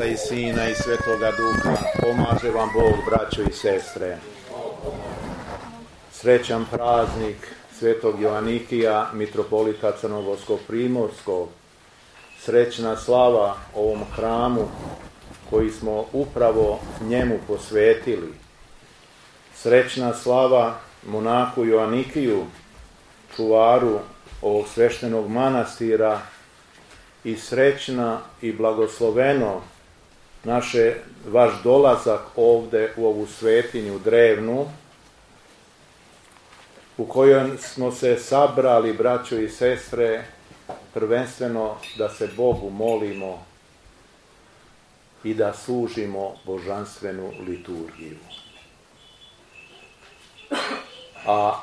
Oca i Sina i Svetoga Duha. Pomaže vam Bog, braćo i sestre. Srećan praznik Svetog Joanikija, mitropolita Crnogorskog Primorskog. Srećna slava ovom hramu koji smo upravo njemu posvetili. Srećna slava monaku Joanikiju, čuvaru ovog sveštenog manastira, i srećna i blagosloveno vaš dolazak ovde u ovu svetinju drevnu, u kojoj smo se sabrali, braćo i sestre, prvenstveno da se Bogu molimo i da služimo božanstvenu liturgiju. A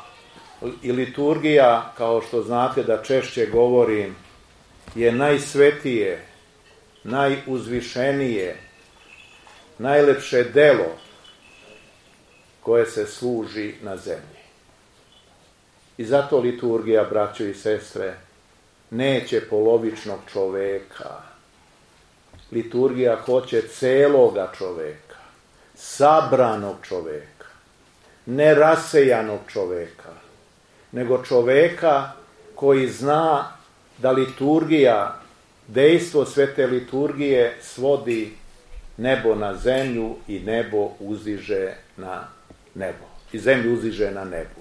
i liturgija, kao što znate da češće govorim, je najsvetije, najuzvišenije, najlepše delo koje se služi na zemlji. I zato liturgija, braćo i sestre, neće polovičnog čoveka. Liturgija hoće celoga čoveka, sabranog čoveka, nerasejanog čoveka, nego čoveka koji zna da liturgija, dejstvo svete liturgije svodi nebo na zemlju i nebo uzdiže na nebo. I zemlju uzdiže na nebu.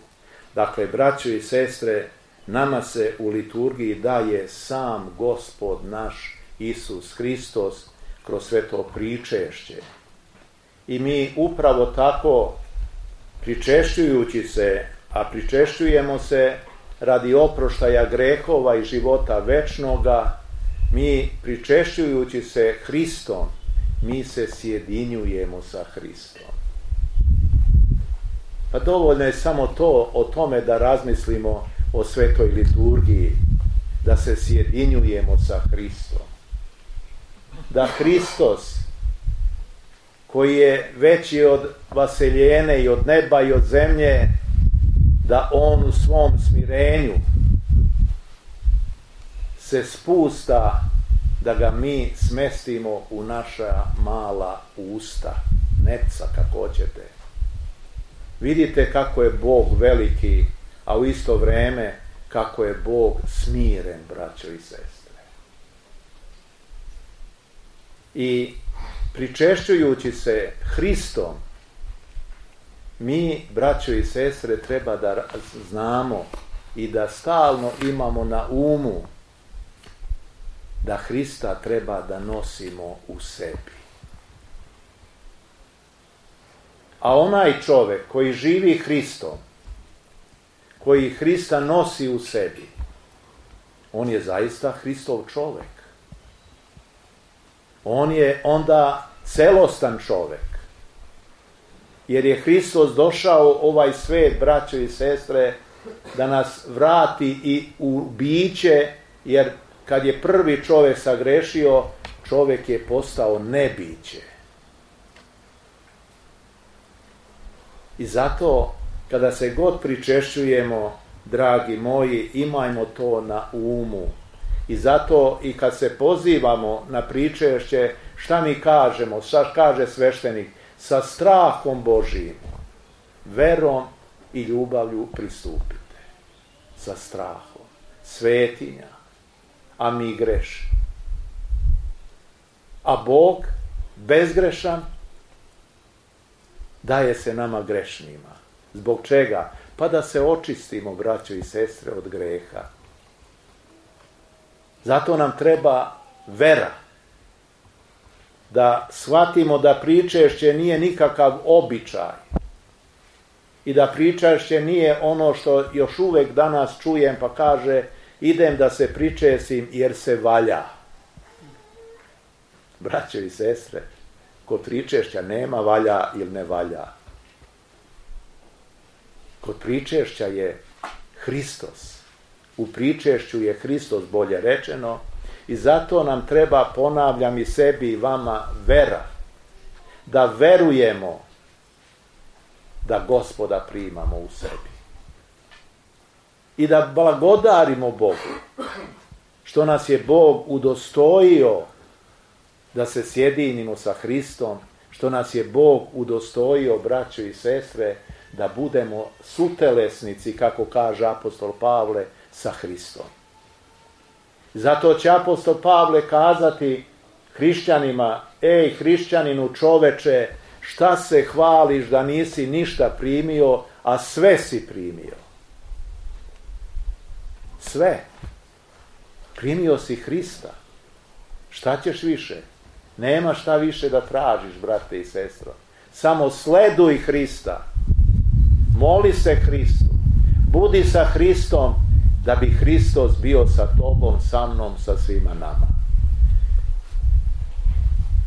Dakle, braćo i sestre, nama se u liturgiji daje sam Gospod naš Isus Hristos kroz sveto pričešće. I mi upravo tako, pričešćujući se, a pričešćujemo se radi oproštaja grehova i života večnoga, mi pričešćujući se Hristom, mi se sjedinjujemo sa Hristom. Pa dovoljno je samo to, o tome da razmislimo o svetoj liturgiji, da se sjedinjujemo sa Hristom. Da Hristos, koji je veći od vaseljene i od neba i od zemlje, da on u svom smirenju se spusta, da ga mi smestimo u naša mala usta, nepca kako hoćete. Vidite kako je Bog veliki, a u isto vreme kako je Bog smiren, braćo i sestre. I pričešćujući se Hristom, mi, braćo i sestre, treba da znamo i da stalno imamo na umu da Hrista treba da nosimo u sebi. A onaj čovek koji živi Hristom, koji Hrista nosi u sebi, on je zaista Hristov čovek. On je onda celostan čovek. Jer je Hristos došao ovaj svet, braćo i sestre, da nas vrati i u biće, jer kad je prvi čovek sagrešio, čovek je postao nebiće. I zato, kada se god pričešćujemo, dragi moji, imajmo to na umu. I zato i kad se pozivamo na pričešće, šta mi kažemo, šta kaže sveštenik? Sa strahom Božijim, verom i ljubavlju pristupite. Sa strahom. Svetinja. A mi grešni. A Bog, bezgrešan, daje se nama grešnima. Zbog čega? Pa da se očistimo, braćo i sestre, od greha. Zato nam treba vera. Da shvatimo da pričešće nije nikakav običaj i da pričešće nije ono što još uvek danas čujem pa kaže idem da se pričesim jer se valja. Braćo i sestre, kod pričešća nema valja ili ne valja. Kod pričešća je Hristos. U pričešću je Hristos, bolje rečeno. I zato nam treba, ponavljam i sebi i vama, vera. Da verujemo da Gospoda primamo u sebi. I da blagodarimo Bogu što nas je Bog udostojio da se sjedinimo sa Hristom, što nas je Bog udostojio, braćo i sestre, da budemo sutelesnici, kako kaže apostol Pavle, sa Hristom. Zato će apostol Pavle kazati hrišćanima: ej, hrišćaninu čoveče, šta se hvališ da nisi ništa primio, a sve si primio? Sve. Primio si Hrista. Šta ćeš više? Nema šta više da tražiš, brate i sestro. Samo sleduj Hrista. Moli se Hristu. Budi sa Hristom, da bi Hristos bio sa tobom, sa mnom, sa svima nama.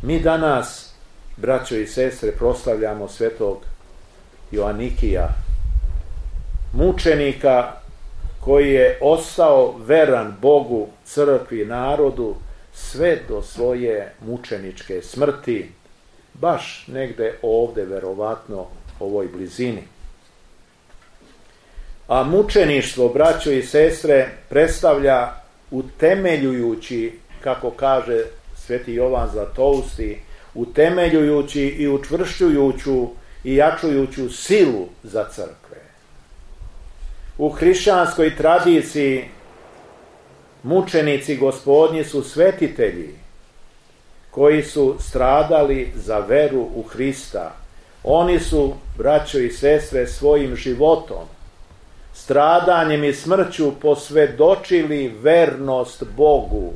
Mi danas, braćo i sestre, proslavljamo svetog Joanikija, mučenika koji je ostao veran Bogu, crkvi, narodu, sve do svoje mučeničke smrti, baš negde ovde, verovatno, ovoj blizini. A mučeništvo, braćo i sestre, predstavlja utemeljujući, kako kaže sveti Jovan Zlatousti, utemeljujući i učvršćujuću i jačujuću silu za crkve. U hrišćanskoj tradiciji mučenici Gospodnji su svetitelji koji su stradali za veru u Hrista. Oni su, braćo i sestre, svojim životom, stradanjem i smrću posvjedočili vernost Bogu.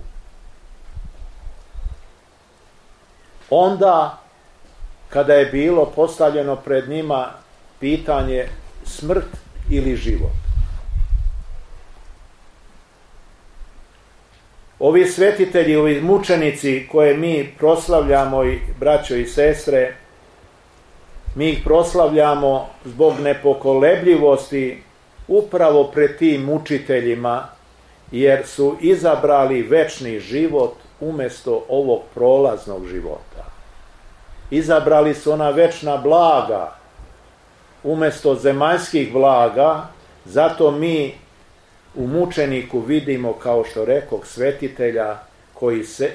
Onda, kada je bilo postavljeno pred njima pitanje smrt ili život, ovi svetitelji, ovi mučenici koje mi proslavljamo, braćo i sestre, mi ih proslavljamo zbog nepokolebljivosti upravo pred tim mučiteljima, jer su izabrali večni život umjesto ovog prolaznog života. Izabrali su ona večna blaga umjesto zemaljskih blaga, zato mi u mučeniku vidimo, kao što rekoh, svetitelja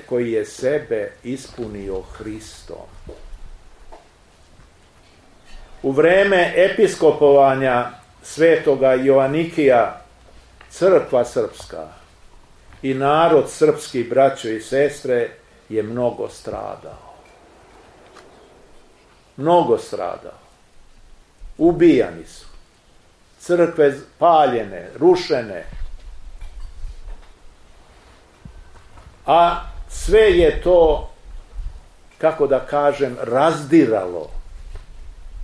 koji je sebe ispunio Hristom. U vreme episkopovanja svetoga Joanikija, crkva srpska i narod srpski, braćo i sestre, je mnogo stradao. Mnogo stradao. Ubijani su. Crkve paljene, rušene. A sve je to, kako da kažem, razdiralo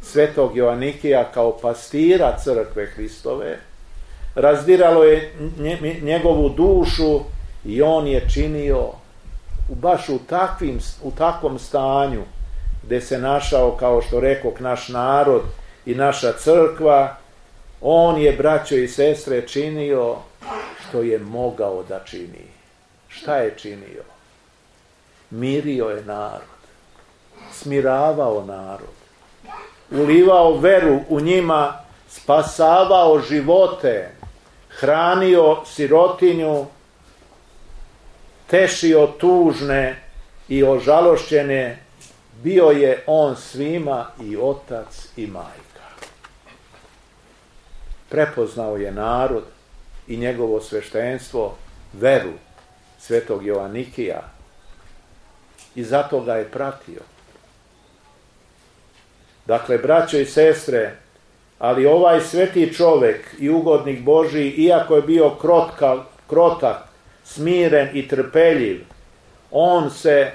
svetog Joanikija kao pastira crkve Hristove. Razdiralo je njegovu dušu i on je činio baš u takvom stanju gdje se našao, kao što rekoh, naš narod i naša crkva. On je, braćo i sestre, činio što je mogao da čini. Šta je činio? Mirio je narod, smiravao narod, ulivao veru u njima, spasavao živote, hranio sirotinju, tešio tužne i ožalošćene. Bio je on svima i otac i majka. Prepoznao je narod i njegovo sveštenstvo, veru svetog Joanikija, i zato ga je pratio. Dakle, braćo i sestre, ali ovaj sveti čovek i ugodnik Božiji, iako je bio krotak, smiren i trpeljiv, on se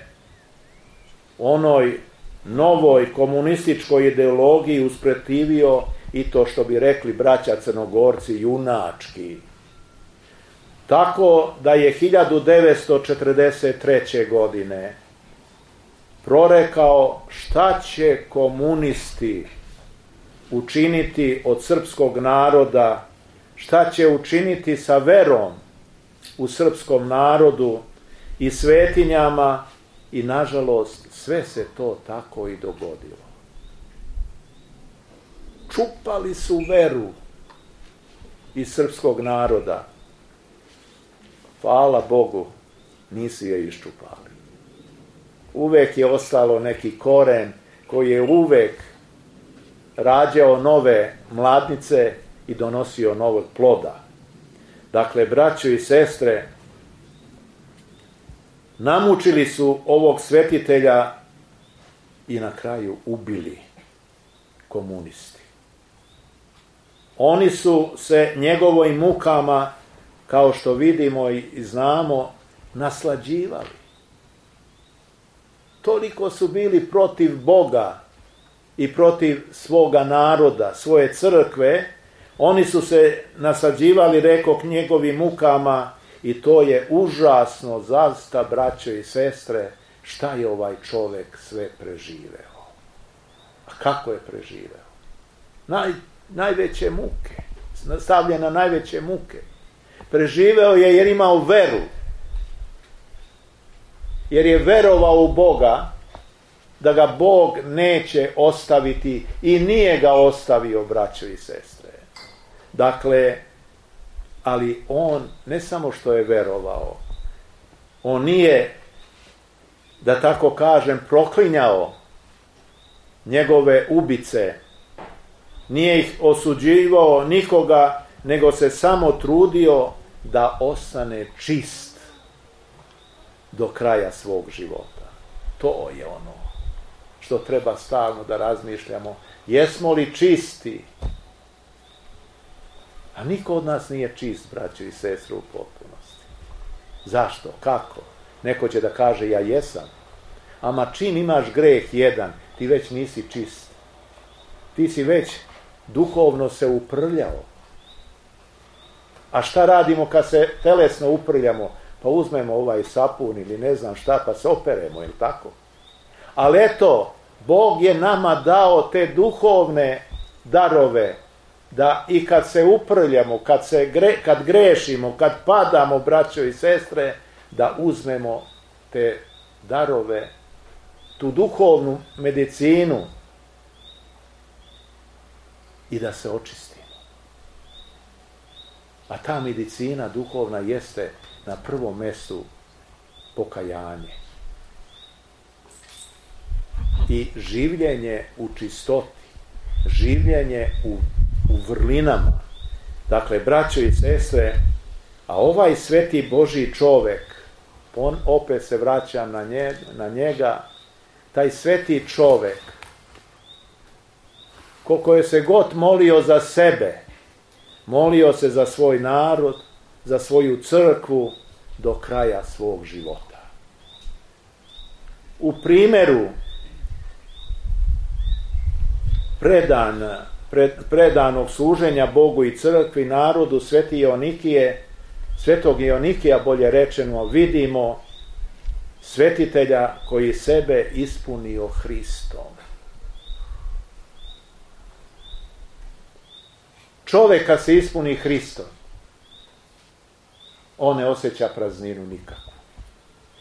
onoj novoj komunističkoj ideologiji usprotivio, i to, što bi rekli braća Crnogorci, junački. Tako da je 1943. godine prorekao šta će komunisti učiniti od srpskog naroda, šta će učiniti sa verom u srpskom narodu i svetinjama, i nažalost sve se to tako i dogodilo. Čupali su veru iz srpskog naroda. Hvala Bogu, nisu je iščupali. uvek je ostalo neki koren koji je uvek rađao nove mladnice i donosio novog ploda. Dakle, braćo i sestre, namučili su ovog svetitelja i na kraju ubili komunisti. Oni su se njegovim mukama, kao što vidimo i znamo, naslađivali. Toliko su bili protiv Boga i protiv svoga naroda, svoje crkve, oni su se naslađivali, rekoh, njegovim mukama, i to je užasno, zaista, braćo i sestre, šta je ovaj čovjek sve preživeo. A kako je preživeo? Najveće muke, stavljen na najveće muke. Preživeo je jer imao veru, jer je verovao u Boga, da ga Bog neće ostaviti i nije ga ostavio, braćo i sestre. Dakle, ali on ne samo što je verovao, on nije, da tako kažem, proklinjao njegove ubice, nije ih osuđivao nikoga, nego se samo trudio da ostane čist do kraja svog života. To je ono što treba stalno da razmišljamo. Jesmo li čisti? A niko od nas nije čist, braćo i sestre, u potpunosti. Zašto? Kako? Neko će da kaže, ja jesam. Ama čim imaš greh jedan, ti već nisi čist. Ti si već duhovno se uprljao. A šta radimo kad se telesno uprljamo? Pa uzmemo ovaj sapun ili ne znam šta, pa se operemo, ili tako? Ali eto, Bog je nama dao te duhovne darove, da i kad se uprljamo, kad grešimo, kad padamo, braćo i sestre, da uzmemo te darove, tu duhovnu medicinu i da se očistimo. A ta medicina duhovna jeste na prvom mjestu pokajanje i življenje u čistoti, življenje u vrlinama. Dakle, braćo i sestre, a ovaj sveti Božji čovek, on opet se vraća na njega, taj sveti čovek, koliko je se god molio za sebe, molio se za svoj narod, za svoju crkvu do kraja svog života. U primjeru predanog služenja Bogu i crkvi, narodu, svetog Ionikija, bolje rečeno, vidimo svetitelja koji sebe ispunio Hristom. Čovjek kad se ispuni Hristom, on ne osjeća prazninu nikakvu.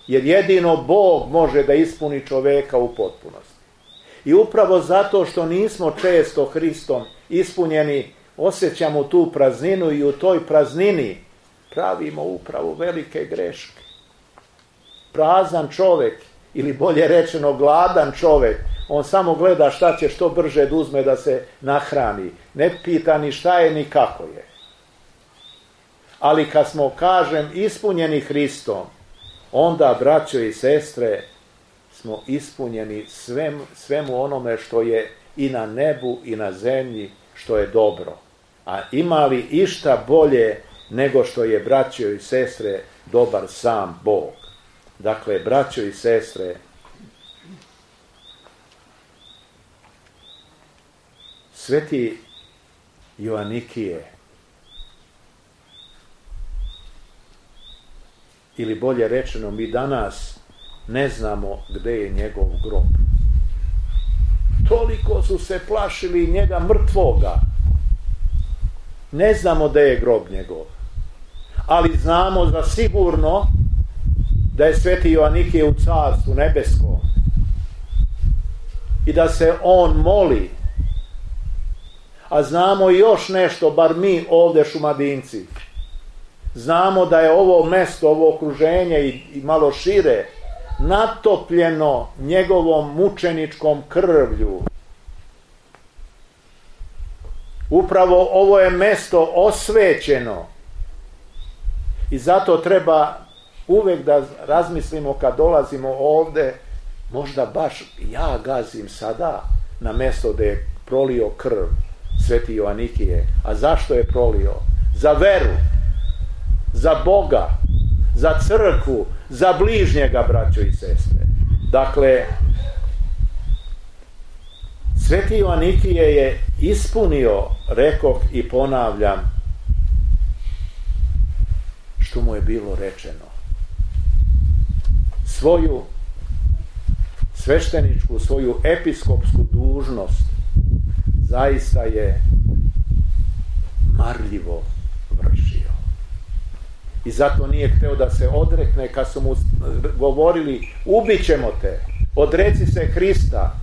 Jer jedino Bog može da ispuni čovjeka u potpunosti. I upravo zato što nismo često Hristom ispunjeni, osjećamo tu prazninu i u toj praznini pravimo upravo velike greške. Prazan čovjek, ili bolje rečeno gladan čovjek, on samo gleda šta će što brže da uzme da se nahrani. Ne pita ni šta je ni kako je. Ali kad smo, kažem, ispunjeni Hristom, onda, braćo i sestre, smo ispunjeni svemu onome što je i na nebu i na zemlji, što je dobro. A ima li išta bolje nego što je, braćo i sestre, dobar sam Bog? Dakle, braćo i sestre, sveti Ioanikije, ili bolje rečeno, mi danas ne znamo gde je njegov grob. Toliko su se plašili njega mrtvoga. Ne znamo gde je grob njegov. Ali znamo za sigurno da je sveti Ioanikije u carstvu nebeskom i da se on moli. A znamo još nešto, bar mi ovdje Šumadinci. Znamo da je ovo mesto, ovo okruženje i malo šire, natopljeno njegovom mučeničkom krvlju. Upravo ovo je mesto osvećeno i zato treba uvek da razmislimo kad dolazimo ovde, možda baš ja gazim sada na mesto gde je prolio krv Sveti Joanikije. A zašto je prolio? Za veru, za Boga, za crkvu, za bližnjega, braćo i sestre. Dakle, Sveti Joanikije je ispunio, rekoh i ponavljam, što mu je bilo rečeno. Svoju svešteničku, svoju episkopsku dužnost zaista je marljivo vršio. I zato nije hteo da se odrekne kad su mu govorili ubit ćemo te, odreci se Hrista,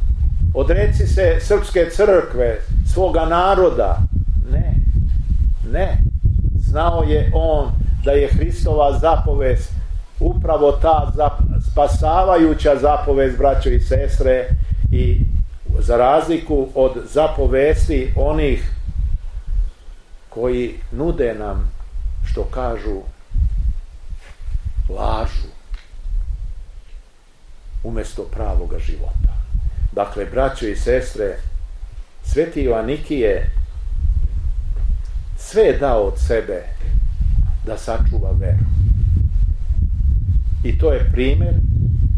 odreci se srpske crkve, svoga naroda. Ne. Znao je on da je Hristova zapovest upravo ta spasavajuća zapovest, braćo i sestre, i za razliku od zapovesti onih koji nude nam, što kažu, lažu umjesto pravoga života. Dakle, braćo i sestre, Sveti Joanikije sve je dao od sebe da sačuva veru. I to je primjer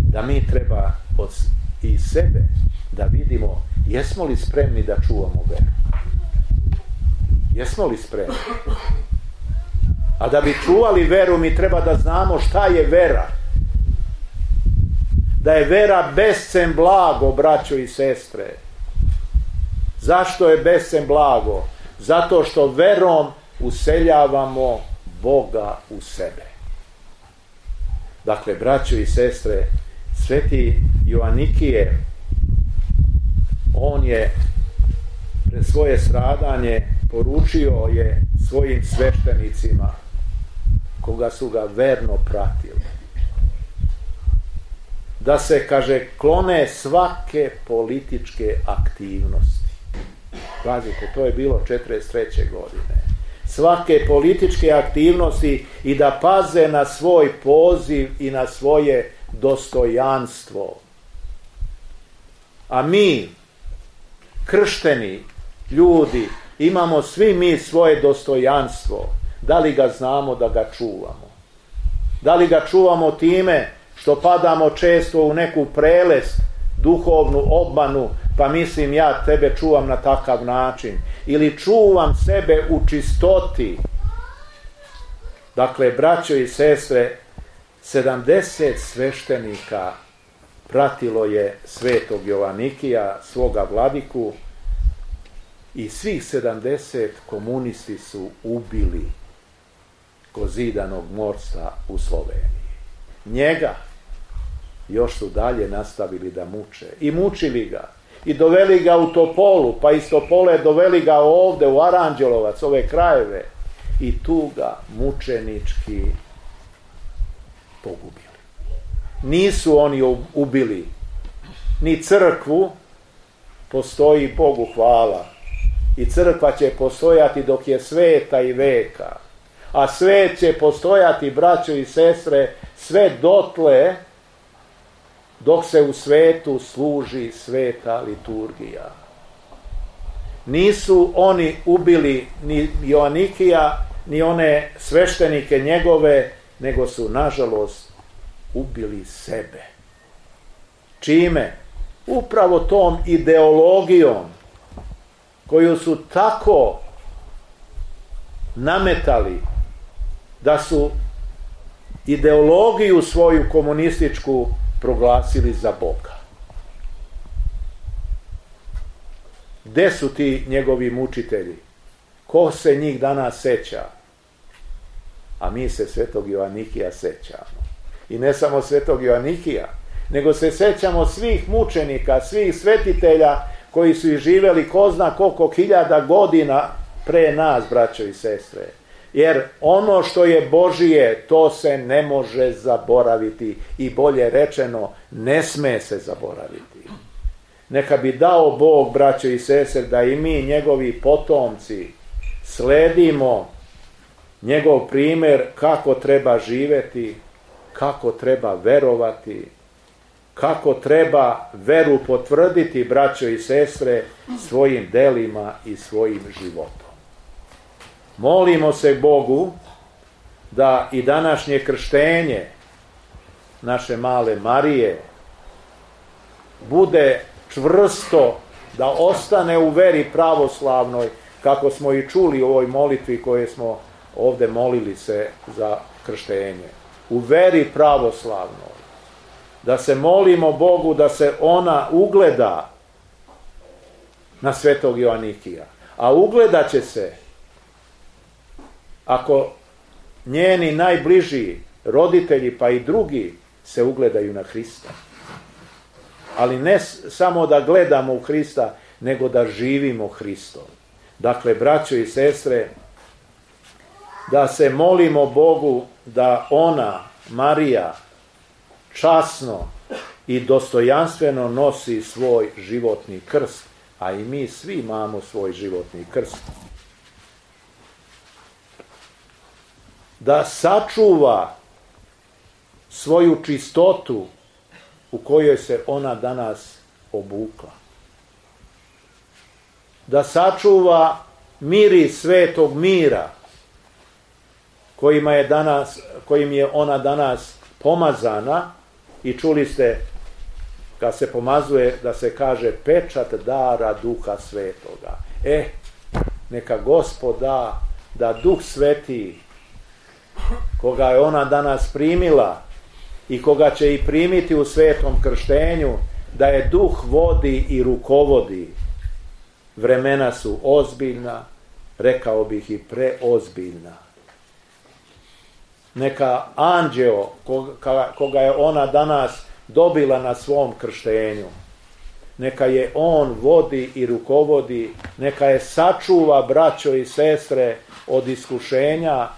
da mi treba i sebe da vidimo jesmo li spremni da čuvamo veru. Jesmo li spremni? A da bi čuvali veru mi treba da znamo šta je vera. Da je vera bescen blago, braćo i sestre. Zašto je bescen blago? Zato što verom useljavamo Boga u sebe. Dakle, braćo i sestre, Sveti Joanikije, on je pred svoje stradanje poručio je svojim sveštenicima, koga su ga verno pratili, da se, kaže, klone svake političke aktivnosti. Pazite, to je bilo 43. godine. Svake političke aktivnosti i da paze na svoj poziv i na svoje dostojanstvo. A mi, kršteni ljudi, imamo svi mi svoje dostojanstvo. Da li ga znamo da ga čuvamo? Da li ga čuvamo time što padamo često u neku prelest, duhovnu obmanu, pa mislim ja tebe čuvam na takav način, ili čuvam sebe u čistoti. Dakle, braćo i sestre, 70 sveštenika pratilo je Svetog Joanikija, svoga vladiku, i svih 70 komunisti su ubili kod Zidanog mosta u Sloveniji. Njega još su dalje nastavili da muče. I mučili ga. I doveli ga u Topolu, pa iz Topole doveli ga ovde u Aranđelovac, ove krajeve. I tu ga mučenički pogubili. Nisu oni ubili ni crkvu, postoji, Bogu hvala. I crkva će postojati dok je sveta i veka. A svet će postojati, braćo i sestre, sve dotle dok se u svetu služi sveta liturgija. Nisu oni ubili ni Joanikija, ni one sveštenike njegove, nego su, nažalost, ubili sebe. Čime? Upravo tom ideologijom koju su tako nametali da su ideologiju svoju komunističku proglasili za Boga. Gde su ti njegovi mučitelji? Ko se njih danas seća? A mi se Svetog Joanikija sećamo. I ne samo Svetog Joanikija, nego se sećamo svih mučenika, svih svetitelja koji su i živeli ko zna koliko hiljada godina pre nas, braćo i sestre. Jer ono što je Božije, to se ne može zaboraviti i bolje rečeno, ne sme se zaboraviti. Neka bi dao Bog, braćo i sestre, da i mi, njegovi potomci, sledimo njegov primjer kako treba živjeti, kako treba verovati, kako treba veru potvrditi, braćo i sestre, svojim delima i svojim životom. Molimo se Bogu da i današnje krštenje naše male Marije bude čvrsto, da ostane u veri pravoslavnoj, kako smo i čuli u ovoj molitvi koje smo ovdje molili se za krštenje. U veri pravoslavnoj. Da se molimo Bogu da se ona ugleda na svetog Joanikija. A ugledat će se ako njeni najbliži roditelji pa i drugi se ugledaju na Hrista. Ali ne samo da gledamo u Hrista, nego da živimo Hristom. Dakle, braćo i sestre, da se molimo Bogu da ona, Marija, časno i dostojanstveno nosi svoj životni krst, a i mi svi imamo svoj životni krst. Da sačuva svoju čistotu u kojoj se ona danas obukla. Da sačuva miris svetog mira kojim je ona danas pomazana, i čuli ste kad se pomazuje da se kaže pečat dara Duha Svetoga. Neka Gospod da Duh Sveti, koga je ona danas primila i koga će i primiti u svetom krštenju, da je Duh vodi i rukovodi. Vremena su ozbiljna, rekao bih i preozbiljna. Neka anđeo koga je ona danas dobila na svom krštenju, neka je on vodi i rukovodi, neka je sačuva, braćo i sestre, od iskušenja,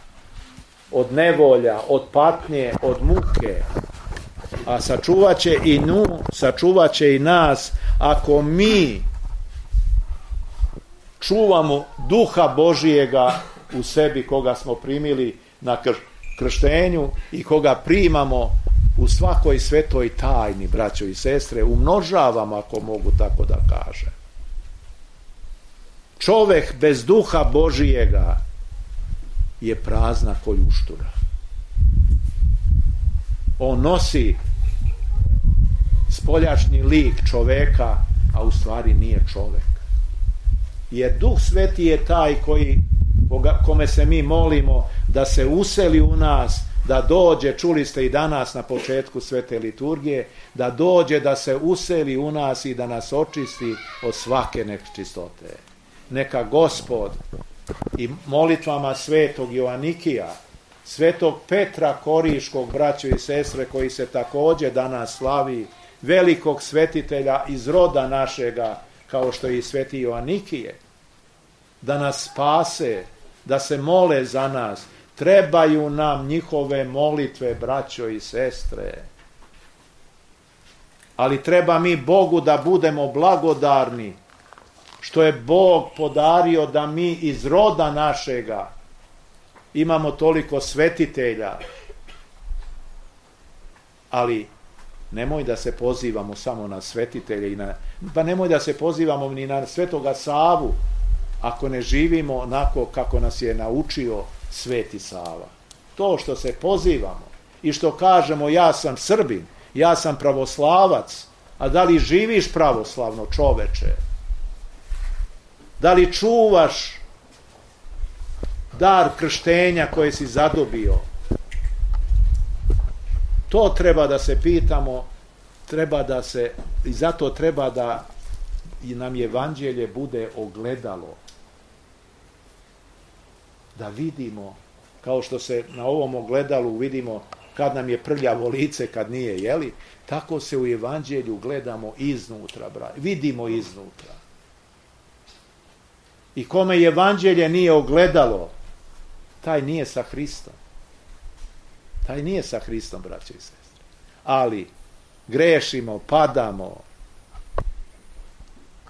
od nevolja, od patnje, od muke. A sačuvat će i nju, sačuvat će i nas, ako mi čuvamo Duha Božijega u sebi, koga smo primili na krštenju i koga primamo u svakoj svetoj tajni, braćo i sestre, umnožavamo, ako mogu tako da kažem. Čovek bez Duha Božijega je prazna ko ljuštura. On nosi spoljašnji lik čoveka, a u stvari nije čovek. Jer Duh Sveti je taj kome se mi molimo da se useli u nas, da dođe, čuli ste i danas na početku svete liturgije, da dođe, da se useli u nas i da nas očisti od svake nečistote. Neka Gospod i molitvama svetog Joanikija, svetog Petra Koriškog, braćo i sestre, koji se također danas slavi, velikog svetitelja iz roda našega, kao što je i sveti Joanikije, da nas spase, da se mole za nas. Trebaju nam njihove molitve, braćo i sestre. Ali treba mi Bogu da budemo blagodarni, što je Bog podario da mi iz roda našega imamo toliko svetitelja. Ali nemoj da se pozivamo samo na svetitelje, pa nemoj da se pozivamo ni na svetoga Savu, ako ne živimo onako kako nas je naučio Sveti Sava. To što se pozivamo i što kažemo ja sam Srbin, ja sam pravoslavac, a da li živiš pravoslavno, čoveče? Da li čuvaš dar krštenja koje si zadobio? To treba da se pitamo, i zato treba da nam evanđelje bude ogledalo. Da vidimo, kao što se na ovom ogledalu vidimo kad nam je prljavo lice, kad nije, jeli? Tako se u evanđelju gledamo iznutra, vidimo iznutra. I kome evanđelje nije ogledalo, taj nije sa Hristom. Taj nije sa Hristom, braće i sestre. Ali grešimo, padamo.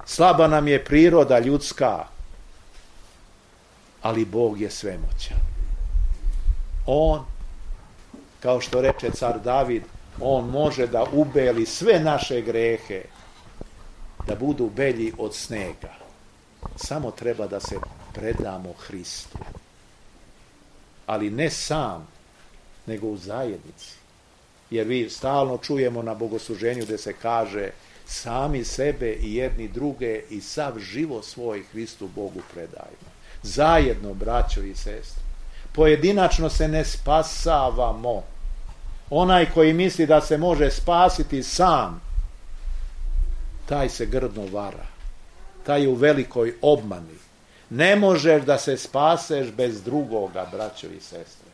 Slaba nam je priroda ljudska, ali Bog je svemoćan. On, kao što reče car David, on može da ubeli sve naše grehe, da budu belji od snega. Samo treba da se predamo Hristu. Ali ne sam, nego u zajednici. Jer vi stalno čujemo na bogosluženju gde se kaže sami sebe i jedni druge i sav život svoj Hristu Bogu predajmo. Zajedno, braćo i sestre. Pojedinačno se ne spasavamo. Onaj koji misli da se može spasiti sam, taj se grdno vara. Taj je u velikoj obmani. Ne možeš da se spaseš bez drugoga, braćo i sestre.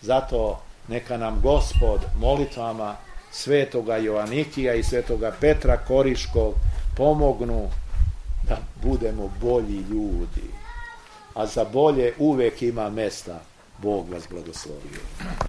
Zato neka nam Gospod molitvama svetoga Joanikija i svetoga Petra Koriškog pomognu da budemo bolji ljudi. A za bolje uvek ima mesta. Bog vas blagoslovio.